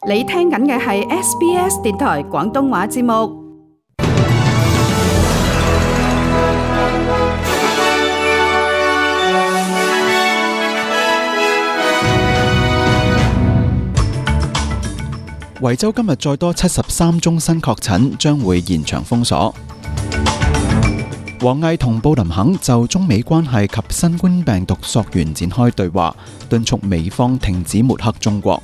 你聽緊嘅係 SBS 電台廣東話節目。維州今日再多73宗新確診，將會延長封鎖。王毅同布林肯就中美關係及新冠病毒溯源展開對話，敦促美方停止抹黑中國。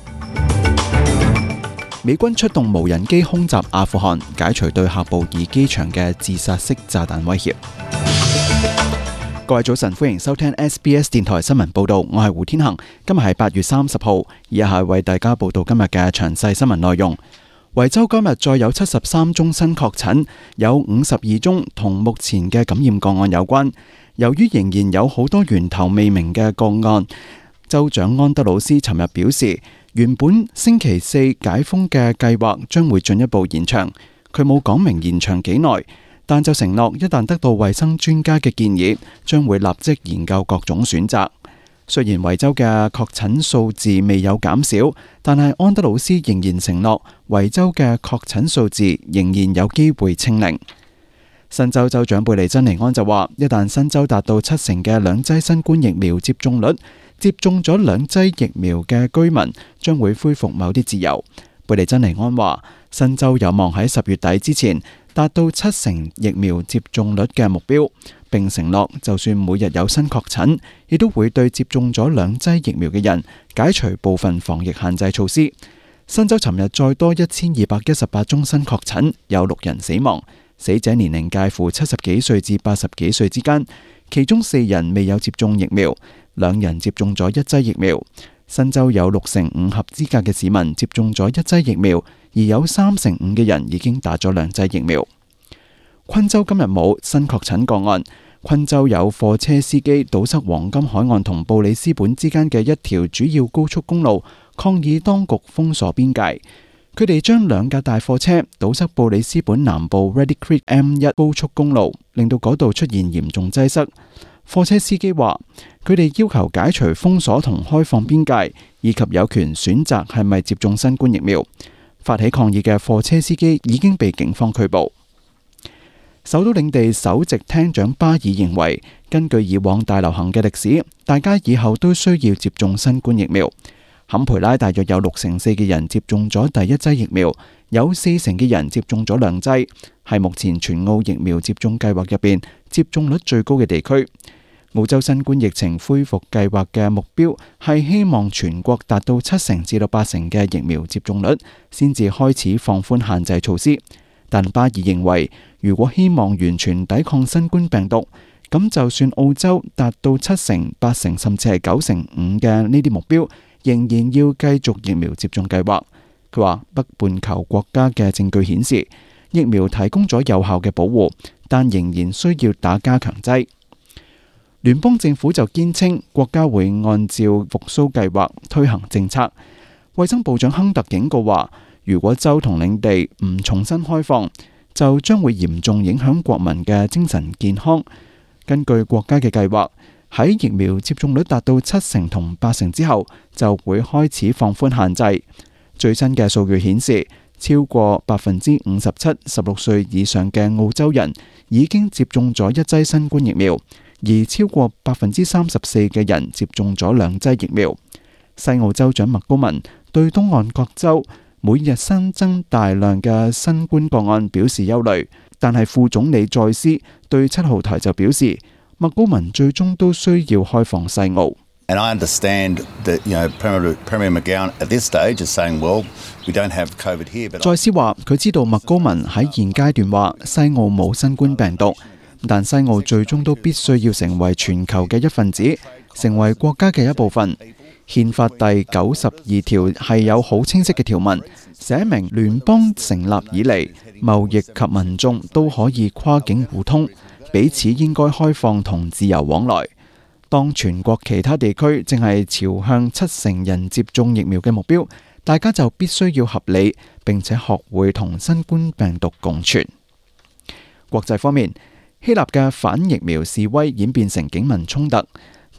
美軍出動無人機空襲阿富汗，解除對喀布爾機場嘅自殺式炸彈威脅。各位早晨，歡迎收聽 SBS 電台新聞報道，我係胡天恒。今日係8月30號，以下係為大家報道今日嘅詳細新聞內容。維州今日再有73宗新確診，有52宗同目前嘅感染個案有關。由於仍然有好多源頭未明嘅個案，州長安德魯斯尋日表示，原本星期四解封嘅計劃將會進一步延長。佢冇講明延長幾耐，但就承諾一旦得到衛生專家嘅建議，將會立即研究各種選擇。雖然維州嘅確診數字未有減少，但係安德魯斯仍然承諾維州嘅確診數字仍然有機會清零。新州州長貝利珍尼安就話，一旦新州達到70%嘅兩劑新冠疫苗接種率，接種咗兩劑疫苗嘅居民將會恢復某啲自由。貝利珍尼安話，新州有望喺10月底之前達到70%疫苗接種率嘅目標，並承諾就算每日有新確診，亦都會對接種咗兩劑疫苗嘅人解除部分防疫限制措施。新州尋日再多1218宗新確診，有6人死亡，死者年齡介乎70幾歲至80幾歲之間，其中4人未有接種疫苗，2人接種咗1劑疫苗。新州有65%合資格嘅市民接種咗1劑疫苗，而有35%嘅人已經打咗2劑疫苗。昆州今日冇新確診個案。昆州有貨車司機堵塞黃金海岸同布里斯本之間嘅一條主要高速公路，抗議當局封鎖邊界。佢哋將2架大貨車堵塞布里斯本南部 Ready Creek M1 高速公路，令到嗰度出現嚴重擠塞。貨車司機話，佢哋要求解除封鎖同開放邊界，以及有權選擇係咪接種新冠疫苗。發起抗議嘅貨車司機已經被警方拘捕。首都領地首席廳長巴爾認為，根據以往大流行嘅歷史，大家以後都需要接種新冠疫苗。坎培拉大約有64%嘅人接種咗第一劑疫苗，有40%嘅人接種咗2劑，係目前全澳疫苗接種計劃入邊接種率最高嘅地區。澳洲新冠疫情恢復計劃嘅目標係希望全國達到70%至80%嘅疫苗接種率，先至開始放寬限制措施。但巴爾認為，如果希望完全抵抗新冠病毒，咁就算澳洲達到70%、80%甚至係95%嘅呢啲目標，仍然要繼續疫苗接種計劃。佢話北半球國家嘅證據顯示，疫苗提供咗有效嘅保護，但仍然需要打加強劑。聯邦政府就堅稱國家會按照復甦計劃推行政策。衛生部長亨特警告話，如果州同領地唔重新開放，就將會嚴重影響國民嘅精神健康。根據國家嘅計劃，喺疫苗接種率達到70%同80%之後，就會開始放寬限制。最新嘅數據顯示，超過57%16歲以上嘅澳洲人已經接種咗1劑新冠疫苗，而超過34%嘅人接種咗2劑疫苗。西澳州長麥高文對東岸各州每日新增大量嘅新冠個案表示憂慮，但係副總理再斯對7號台就表示，麥高文最終都需要開放西澳。And I understand that, Premier McGowan at this stage is saying, well, we don't have COVID here. But 再斯話佢知道麥高文喺現階段話西澳冇新冠病毒，但西澳最終都必須要成為全球嘅一份子，成為國家嘅一部分。憲法第92條係有好清晰嘅條文，寫明聯邦成立以嚟，貿易及民眾都可以跨境互通，彼此應該開放同自由往來。當全國其他地區正係朝向70%人接種疫苗嘅目標，大家就必須要合理並且學會同新冠病毒共存。國際方面，希臘嘅反疫苗示威演變成警民衝突。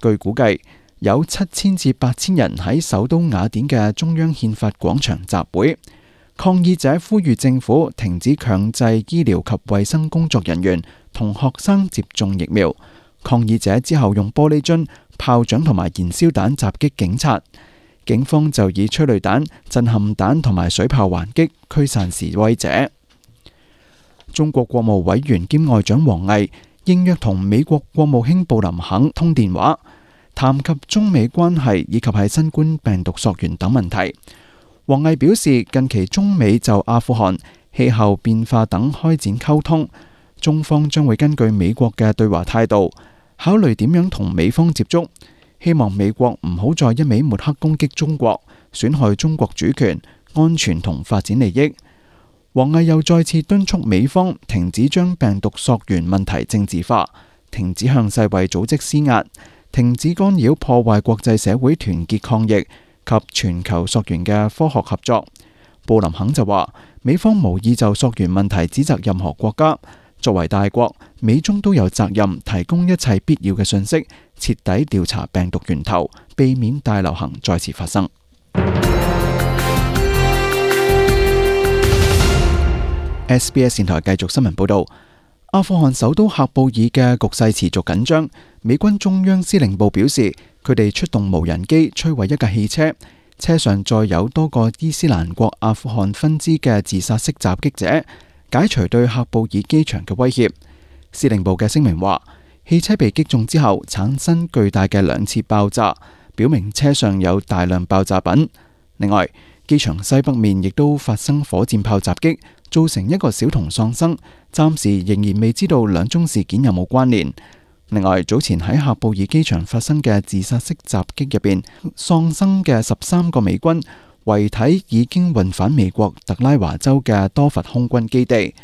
據估計，有7000至8000人喺首都雅典嘅中央憲法廣場集會，抗議者呼籲政府停止強制醫療及衛生工作人員同學生接種疫苗。抗議者之後用玻璃樽、炮仗同埋燃燒彈襲擊警察，警方就以催淚彈、震撼彈同埋水炮還擊，驅散示威者。中國國務委員兼外長王毅應約同美國國務卿布林肯通電話，談及中美關係以及係新冠病毒溯源等問題。王毅表示，近期中美就阿富汗、氣候變化等開展溝通，中方將會根據美國嘅對華態度，考慮點樣同美方接觸，希望美國唔好再一味抹黑攻擊中國，損害中國主權、安全同發展利益。王毅又再次敦促美方停止將病毒溯源問題政治化，停止向世衛組織施壓，停止干擾破壞國際社會團結抗疫及全球溯源嘅科學合作。布林肯就話，美方無意就溯源問題指責任何國家，作為大國，美中都有責任提供一切必要嘅信息，徹底調查病毒源頭，避免大流行再次發生。SBS 電台繼續新聞報道，阿富汗首都喀布爾嘅局勢持續緊張。美軍中央司令部表示，佢哋出動無人機摧毀一架汽車，車上載有多個伊斯蘭國阿富汗分支嘅自殺式襲擊者，解除對喀布爾機場嘅威脅。司令部嘅聲明話，汽車被擊中之後產生巨大嘅2次爆炸，表明車上有大量爆炸品。另外，機場西北面亦都發生火箭炮襲擊，造成一個小童喪生，暫時仍然未知道兩宗事件有冇關聯。另外，早前喺喀布爾機場發生嘅自殺式襲擊入邊，喪生嘅13個美軍遺體已經運返美國特拉華州嘅多佛空軍基地。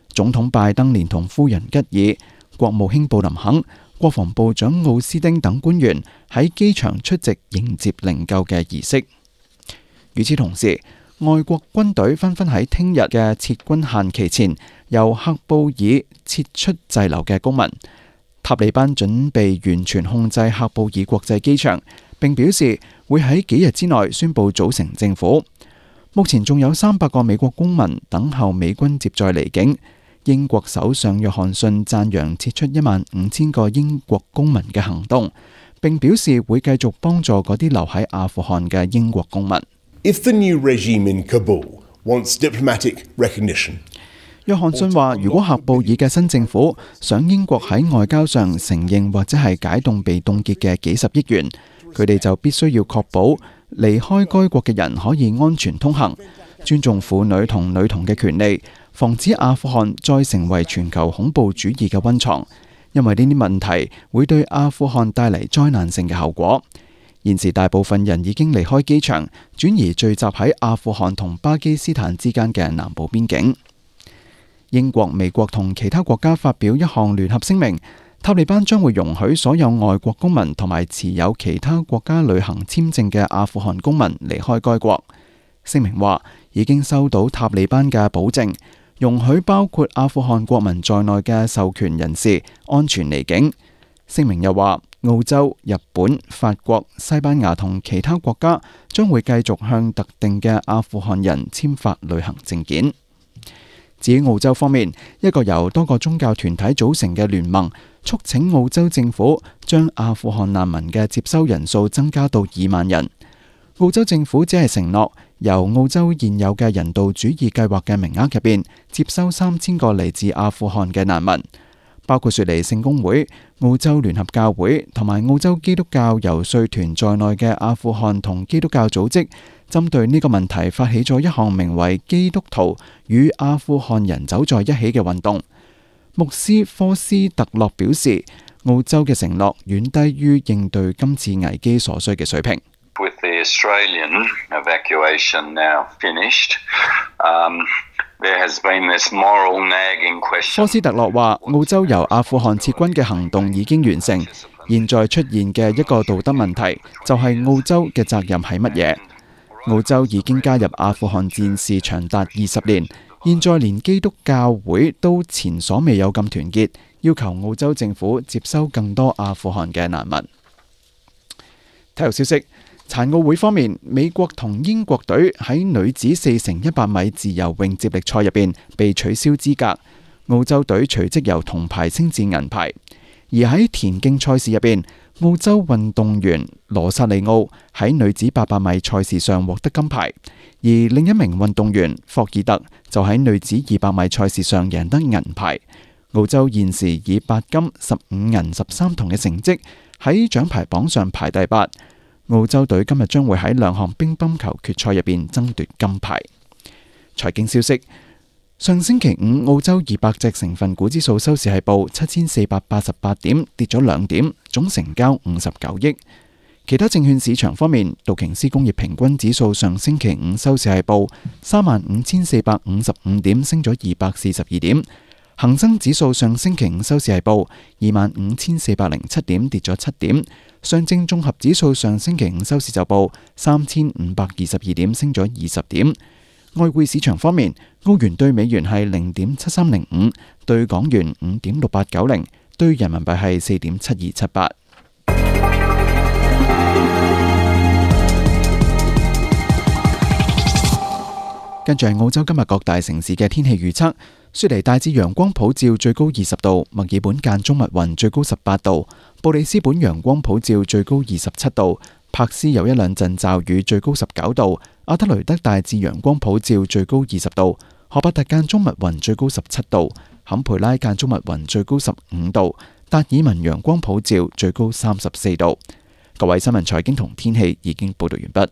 總統拜登連同夫人吉爾、國務卿布林肯、國防部長奧斯丁等官員喺機場出席迎接靈柩嘅儀式。與此同時，外國軍隊紛紛喺聽日嘅撤軍限期前，由喀布爾撤出滯留嘅公民。塔利班準備完全控制喀布爾國際機場，並表示會喺幾日之內宣布組成政府。目前仲有300個美國公民等候美軍接載離境。英國首相約翰遜讚揚撤出15000個英國公民嘅行動，並表示會繼續幫助嗰啲留喺阿富汗嘅英國公民。If the new regime in Kabul wants diplomatic recognition, 約翰遜話，如果喀布爾嘅新政府想英國喺外交上承認或者係解凍被凍結嘅幾十億元，佢哋就必須要確保離開該國嘅人可以安全通行，尊重婦女同女童嘅權利，防止阿富汗再成為全球恐怖主義嘅溫床，因為呢啲問題會對阿富汗帶嚟災難性嘅後果。現時大部分人已經離開機場，轉而聚集喺阿富汗同巴基斯坦之間嘅南部邊境。英國、美國同其他國家發表一項聯合聲明，塔利班將會容許所有外國公民同埋持有其他國家旅行簽證嘅阿富汗公民離開該國。聲明話已經收到塔利班嘅保證，容許包括阿富汗國民在內嘅授權人士安全離境。聲明又話，澳洲、日本、法國、西班牙同其他國家將會繼續向特定嘅阿富汗人簽發旅行證件。至於澳洲方面，一個由多個宗教團體組成嘅聯盟促請澳洲政府將阿富汗難民嘅接收人數增加到2萬人。澳洲政府只係承諾由澳洲現有嘅人道主義計劃嘅名額入邊接收3000個嚟自阿富汗嘅難民，包括雪梨聖公會、澳洲聯合教會同埋澳洲基督教遊說團在內嘅阿富汗同基督教組織，針對呢個問題發起咗一項名為《基督徒與阿富汗人走在一起》嘅運動。牧師科斯特洛表示，澳洲嘅承諾遠低於應對今次危機所需嘅水平。With the Australian evacuation now finished, there has been this moral nagging question. 科斯特洛話，澳洲由阿富汗撤軍嘅行動已經完成，現在出現嘅一個道德問題就係澳洲嘅責任係乜嘢？澳洲已經加入阿富汗戰事長達20年，現在連基督教會都前所未有咁團結，要求澳洲政府接收更多阿富汗嘅難民。體育消息，殘奧會方面，美國同英國隊喺女子4×100米自由泳接力賽入邊被取消資格，澳洲隊隨即由銅牌升至銀牌。而喺田徑賽事入邊，澳洲運動員羅薩利奧喺女子800米賽事上獲得金牌，而另一名運動員霍爾特就喺女子200米賽事上贏得銀牌。澳洲現時以8金、15銀、13銅嘅成績喺獎牌榜上排第8。澳洲隊今日將會喺2項乒乓球決賽入邊爭奪金牌。財經消息，上星期五澳洲200隻成分股指數收市係報7488點，跌咗2點，總成交59億。其他證券市場方面，道瓊斯工業平均指數上星期五收市係報35455點，升咗242點。恒生指數上星期五收市係報25407點，跌咗7點。上證綜合指數上星期五收市就報3522點，升咗20點。外匯市場方面，澳元對美元係0.7305，對港元5.6890，對人民幣係4.7278。跟住係澳洲今日各大城市嘅天氣預測。雪梨大致陽光普照，最高20度；墨爾本間中密雲，最高18度；布里斯本陽光普照，最高27度；柏斯有一兩陣驟雨，最高19度；阿德雷德大致陽光普照，最高20度；荷伯特間中密雲，最高17度；坎培拉間中密雲，最高15度；達爾文陽光普照，最高34度。各位新聞財經同天氣已經報道完畢。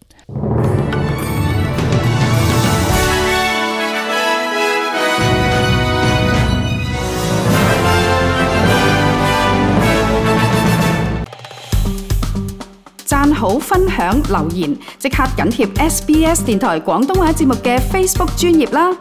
讚好、分享、留言，即刻緊貼SBS 電台廣東話節目嘅 Facebook 專頁啦！